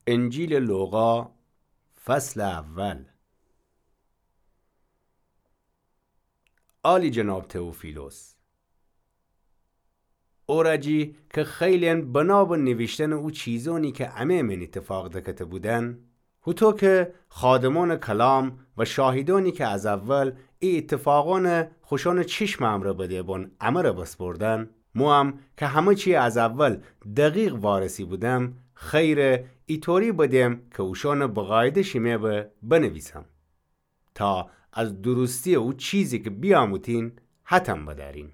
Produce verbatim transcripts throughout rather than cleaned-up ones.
انجیلٚ لوقا، فصلٚ اول. عالی‌جناب تئوفیلوس، او رأ جی کی خیلئن بنا به نیویشتنٚ او چیزأنی کی امه مئن ایتفاق دکته بودن، هوطو کی خادمأنٚ کلام و شاهیدأنی کی از اول ای ایتفاقأن خوشأنٚ چشمٚ امرأ بده‌بون امه رأ بسپردن، موام کی همه چی از اول دقیق وارسی بودم، خیره ایطوری بدم کی اوشأنٚ بقایده شیمه به بنویسم، تا از درستی‌یٚ او چیزی کی بیاموتین حتم بدأرین.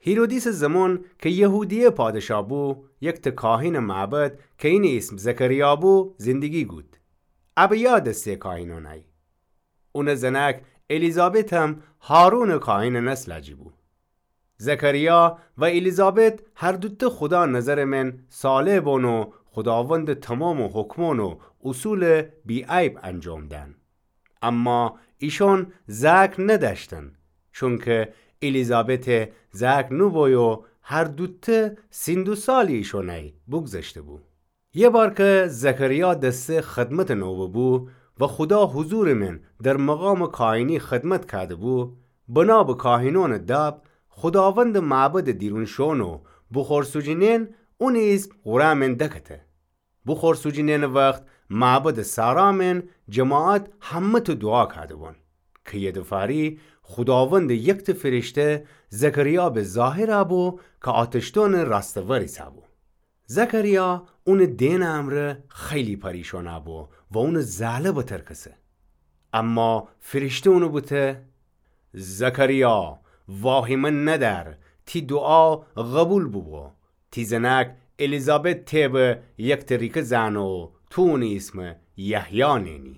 هیرودیسٚ زمون کی یهودیه پادشا بو، یکته کاهینٚ معبد کی اینٚ ایسم زکریا بو، زندگی گود. ابیاد دسته کاهینأنی. اونٚ زنأک الیزابتم هارونٚ کاهینٚ نسلا جی بو. زکریا و الیزابت هر دوته خودا نظرٚ مئن صالح بون و خوداوندٚ تومامٚ حکمأن و اصول بی‌عیب انجام دن. اما ایشأن زأک ندأشتن، چونکی الیزابت زأک نوبو و هر دوته سین دو سالی ایشأنی بوگذشته بو. یه بار کی زکریا دسته خدمتٚ نوبه بو و خودا حضورٚ مئن در مقامٚ کاهینی خدمت کأده بو، بنا به کاهینأنٚ داب، خوداوندٚ معبدٚ دیرون شون و بخور سوجینئن اونٚ ایسم قورعه مئن دکته. بخور سوجینئنٚ وخت معبدٚ صحرا مئن جماعت همه‌ته دوعا کأده بون کی یه دفاری خوداوندٚ یکته فرشته زکریا به ظاهر بو کی آتشدأنٚ راستٚ ور ایسه بو. زکریا اونٚ دئنٚ امرأ خیلی پریشان بو و اونٚ زأله بترکسه. اما فرشته اونٚ بوته: زکریا، واهیمه ندأر، تی دوعا قبول بوبو. تی زنأک الیزابت تی به یکته ریکه زأنه و تو اونٚ ایسم یحیی نئنی.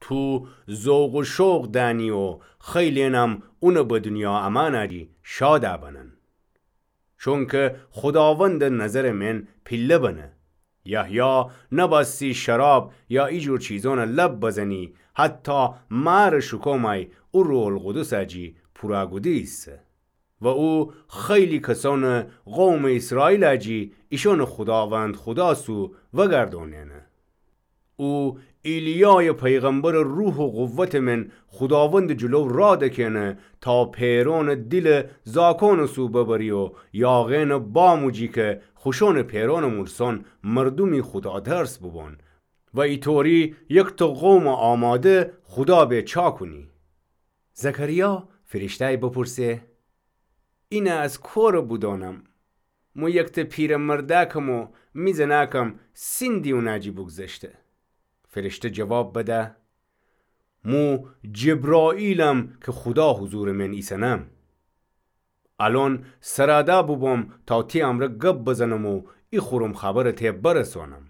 تو ذوق و شوق دأنی و خیلینم اون به دونیا امأنٚ جی شاد بنن. چونکه خوداوندٚ نظرٚ مئن پیله بنه. یحیی نبأستی شراب یا ای جور چیزأنٚ لب بزنی، حتی مارٚ شکومأی او روح‌القدسٚ جی پورا گودی ایسه. و او خیلی کسأنٚ قومٚ ایسرائیلٚ جی ایشأنٚ خوداوند خودا سو وگردأنئنه. او ایلیایٚ پیغمبرٚ روح و قوتٚ مئن خوداوندٚ جلو راه دکئنه تا پئرأنٚ دیلٚ زاکأنٚ سو ببری و یاغئنٚ باموجی کی خوشأنٚ پئرأنٚ مورسأن مردومی خوداترس بوبون و ایطوری یکته قومٚ آماده خودا به چا کونی. زکریا فرشته‌ی بپرسه: اینه از کوره بودأنم؟ مو یکته پیره مردأکم و می زنأکم سین دیونٚ جی بوگذشته. فرشته جواب بده: مو جبرائیلم کی خودا حضورٚ مئن ایسنم. الأن سرأده بوبوم تا تی امرأ گب بزنم و ای خورم خبرٚ تی برسأنم.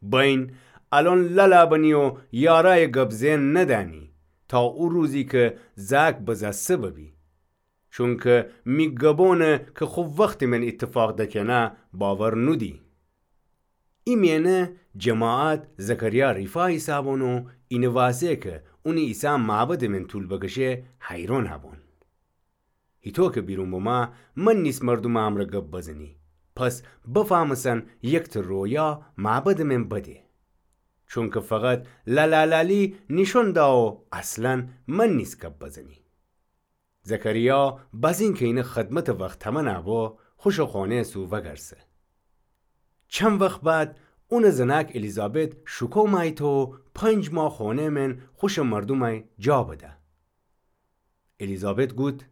بین الأن للا بنی و یارأیٚ گب زئن ندأنی تا او روزی کی زأک بزأسته ببی. چونکی می گبأنٚ کی خو وختٚ مئن ایتفاق دکئنه باور نودی. ای مئنه جماعت زکریا ریفا ایسه‌بون و اینٚ واسه کی اونٚ ایسه معبدٚ مئن طول بکشه حیرأن بون. هیطو کی بیرون بومه، من نیس مردومٚ امرأ گب بزنی. پس بفهمسن یکته رویا معبدٚ مئن بده. چونکی فقط للالالی نیشأن دا و اصلاً من نیس گب بزنی. زکریا بزین کی اینٚ خدمتٚ وخت تمنه بو، خوشٚ خونه‌یٚ سو وگرسه. چند وخت بعد اونٚ زنأک الیزابت شوکو مأییت و پنج ماه خونه‌یٚ مئن خوشٚ مردومأی جا بده. الیزابت گود: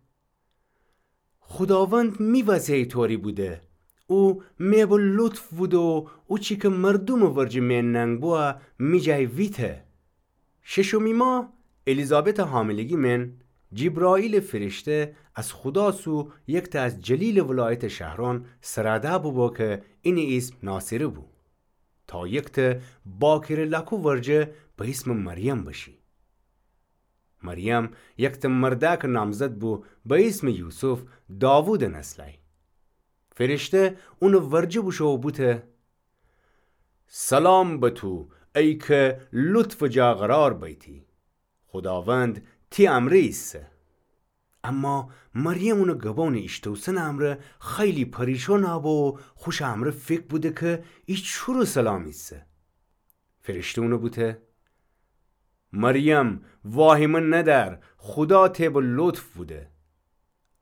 خوداوند می وسه ایطوری بوده. او می به لطف بوده و او چی کی مردومٚ ورجه می ننگ بوه می جای ویته. ششمی ماه الیزابتٚ حاملگی مئن جبرائیلٚ فرشته از خودا سو یکته از جلیلٚ ولایتٚ شهرأن سرأده بوبو کی اینٚ ایسم ناصره بو. تا یکته باکره لأکو ورجه به ایسمٚ مریم بشی. مریم یکته مردأکٚ نامزد بو به ایسمٚ یوسف، داوودٚ نسلأی. فرشته اونٚ ورجه بوشو و بوته: سلام به تو، ای کی لطفٚ جا قرار بیتی. خوداوند تی امرأ ایسه. اما مریم اونٚ گبانٚ ایشتوسنٚ امرأ خیلی پریشان بو و خوشٚ امرأ فکر بوده کی ای چورٚ سلام ایسه. فرشته اونَ بوته: مریم، واهیمه ندأر، خودا تی به لطف بوده.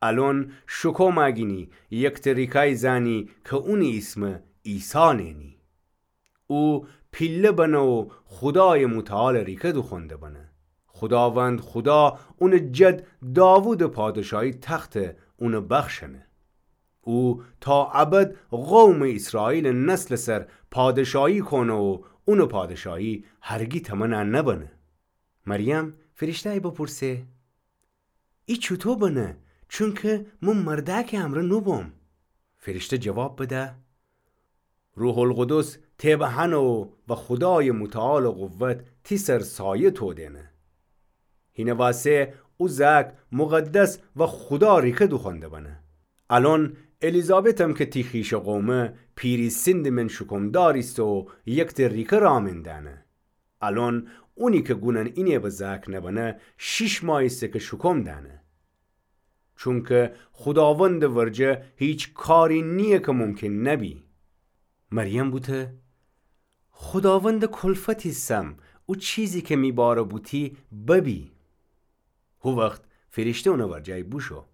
الأن شوکوم گینی، یکته ریکای زأنی کی اونٚ ایسمَ عیسی نئنی. او پیله بنه و خودایٚ متعالٚ ریکه دوخوأنده بنه. خوداوند خودا اونٚ جد داوودٚ پادشاهی تختَ اونَ بخشأنه. او تا ابد قومٚ ایسرائیلٚ نسلٚ سر پادشاهی کونه و اونٚ پادشاهی هرگی تمنَ نبنه. مریم فرشته‌یَ بپرسه: ای چوطو بنه؟ چونکی مو مردأکٚ امرأ نوبوم. فرشته جواب بده: روح‌القدس تی به هنه و خودایٚ متعالٚ قوت تی سر سایه تودینه. هینه واسه او زأک مقدس و خودا ریکه دوخوأنده بنه. الأن الیزابتم کی تی خویشٚ قومه، پیری سندٚ من شوکومدار ایسه و یکته ریکه رامندأنه. الأن اونی کی گونأن اینه به زأک نبنه، شیش ماه ایسه کی شوکوم دأنه. چونکی خوداوندٚ ورجه هیچ کاری نییه کی ممکن نبی. مریم بوته: خوداوندٚ کلفت ایسم، او چیزی کی می باره بوتی ببی. هو وخت فرشته اونٚ ورجه بوشو.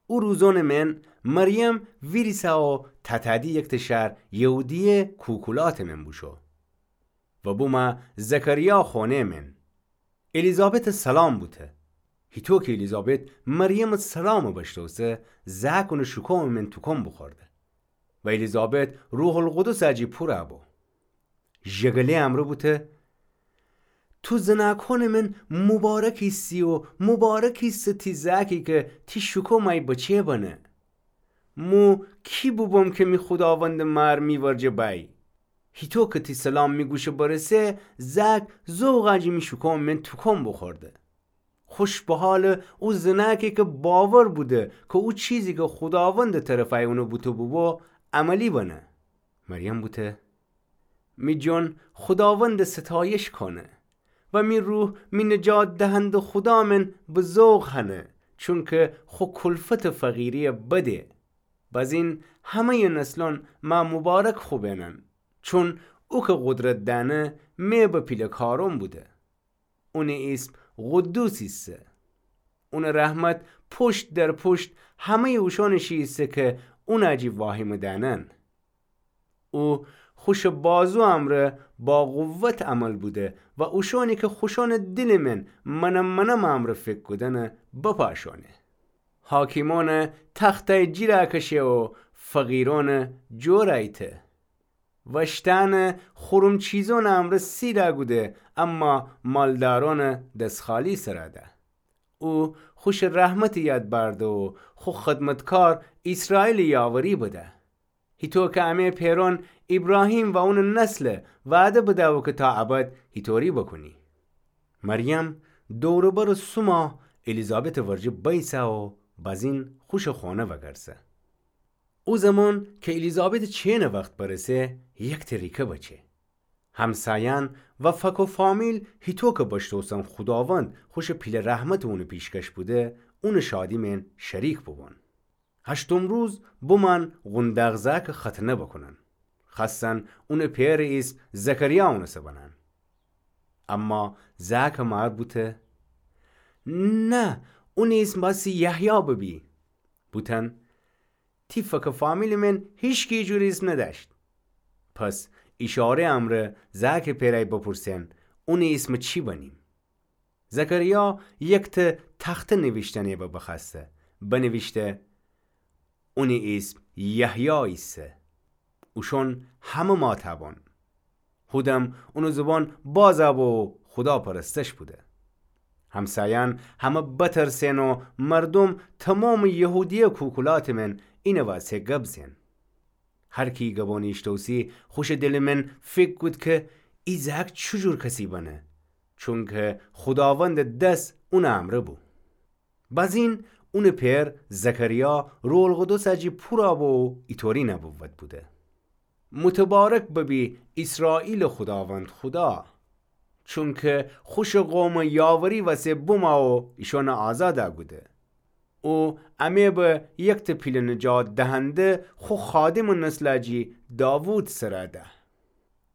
او روزأنٚ من مریم ویریسه و تأتأدی یکته شهر یهودیه کوکولاتٚ من بوشو و بومه زکریا خونه‌یٚ من. الیزابتَ سلام بوته. هیطو کی الیزابت مریمٚ سلامَ بشتوسه، زأک اونٚ شوکومٚ من توکم بوخورده. و الیزابت روح‌القدسٚ جی پورَ بو. ژگله‌یٚ امرأ بوته: تو زنأکونٚ من مبارک ایسی و مبارک ایسه تی زأکی کی تی شوکوم ای بچه بنه. مو کی بوبوم کی می خوداوندٚ مار می ورجه بأیی؟ هیطو کی تی سلام می گوشَ برسه، زأک ذوقٚ جی می شوکومٚ من توکم بوخورده. خوش به حالٚ او زنأکی کی باور بوده کی او چیزی کی خوداوندٚ طرفی اونَ بوته بوبو، عملی بنه. مریم بوته: می جان خوداوندَ ستایش کونه و می روح می نجات دهنده‌یٚ خودا من به ذوق هنه، چونکی خو کلفتٚ فقیریَ بده. بزین همه‌یٚ نسلأن مه مبارک خوبئنن، چون او کی قدرت دأنه مه به پیله کارأن بوده. اونٚ ایسم قدوس ایسه. اونٚ رحمت پوشت در پوشت همه‌یٚ اوشأنٚ شی ایسه کی اونٚ جی واهیمه دأنن. او خوشٚ بازویٚ امرأ با قوت عمل بوده و اوشأنی کی خوشأنٚ دیلٚ من منم منم امرأ فکر کودنَ بپاشأنه. حاکمأنٚ تختَ جیرَ کشه و فقیرأنَ جور ایته. وشتأنٚ خورم چیزأنٚ امرأ سیرَ کوده، اما مالدارأنَ دس‌خالی سرَ ده. او خوشٚ رحمتٚ یاد بأرده و خو خدمتکار ایسرائیلٚ یاوری بده. هیطو کی امه پئرأن ایبراهیم و اونٚ نسلَ وعده بده‌بو کی تا ابد هیطوری بوکونی. مریم دور و برٚ سوما الیزابتٚ ورجه بیسه و بزین خوشٚ خونه وگرسه. او زمان کی الیزابتٚ چینٚ وخت برسه، یکته ریکه بچه. همسایأن و فک و فامیل هیطو کی بشتوسن خوداوند خوشٚ پیله رحمتٚ اونٚ پیشکش بوده، اونٚ شادی من شریک بوبون. هشتم روز بومأن قونداق زأکٚ ختنه بوکونن. خوأستن اونٚ پئرٚ ایسم زکریا اونٚ سر بنن. اما زأکٚ مار بوته: نه، اونٚ ایسم بأسی یحیی ببی. بوتن: تی فکٚ فامیلٚ من هیچکی جور ایسم ندأشت. پس ایشاره‌یٚ امرأ زأکٚ پئرأی بپرسن: اونٚ ایسم چی بنیم؟ زکریا یکته تخته نیویشتنی به بخوأسته، بنیویشته: اونٚ ایسم یحیی ایسه. اوشون همه ماتَ بون. هودم اونٚ زبان بازَ بو و خودا پرستش بوده. همسایأن همه بترسئن و مردوم تومامٚ یهودیه کوکولاتٚ من اینٚ واسه گب زئن. هر کی گبانٚ ایشتوسی خوشٚ دلٚ من فکر کود کی ای زأک چوجور کسی بنه، چونکی خوداوندٚ دس اونٚ امرأ بو. بازین اونٚ پئر زکریا روح‌القدسٚ جی پورَ بو و ایطوری نبوت بوده: متبارک ببی ایسرائیلٚ خوداوند خودا، چونکی خوشٚ قومٚ یاوری وسه بومَ و ایشأنٚ آزادَ کوده. او امه به یکته پیله نجات دهنده خو خادمٚ نسلا جی داوود سرا ده.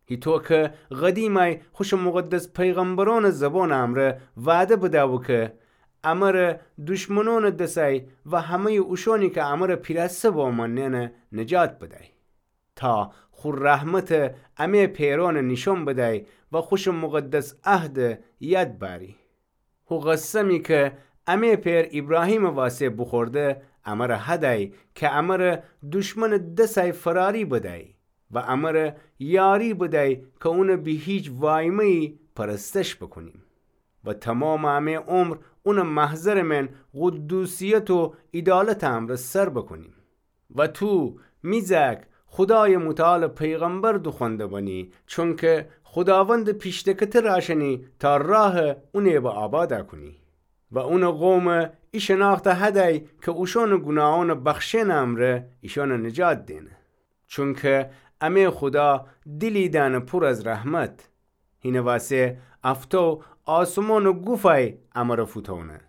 هیطو کی قدیمای خوشٚ مقدس پیغمبرونٚ زبونٚ امرأ وعده بدأ بو کی امره دشمنونٚ دسای و همه‌یٚ اوشونی کی امره پیراسته بمأننه نجات بدای. تا خو رحمت امه پئرونٚ نیشون بدای و خوشٚ مقدس عهدٚ یاد بأری. هو قسمی کی امه پئر ایبراهیمٚ واسه بوخورده امره هدای کی امره دشمنٚ دسای فراری بدای و امره یاری بدای کی اونٚ بی‌هیچ وایمه‌یی پرستش بوکونیم و تومامٚ امه عمر اونٚ محضرٚ من قدوسیت و عیدالتٚ امرأ سر بوکونیم. و تو، می زأک، خودایٚ متعالٚ پیغمبر دوخوأنده بنی، چونکی خوداوندٚ پیشتکته راشنی تا راهٚ اونی به آبادا کونی. و اونٚ قومٚ ای شناخته هدأی کی اوشونٚ گوناهونٚ بخشئنٚ امرأ ایشأنٚ نجات دئنه. چونکی امه خودا دیلی دأنه پور از رحمت. هینٚ واسه افتو آسمونٚ گوفأی امرأ فوتونه،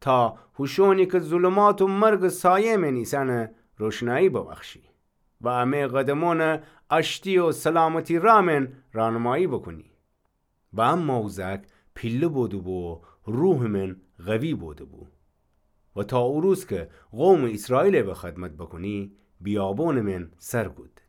تا هوشونی کی ظلمات و مرگٚ سایه من ایسأنٚ روشنایی ببخشی و امه قدمونٚ آشتی و سلامتی رأ من رانمایی بوکونی. و اما او زأک پیله بوده‌بو و روحٚ من قوی بوده‌بو. و تا او روز کی قومٚ ایسرائیل به خدمت بوکونی، بیابونٚ من سر کود.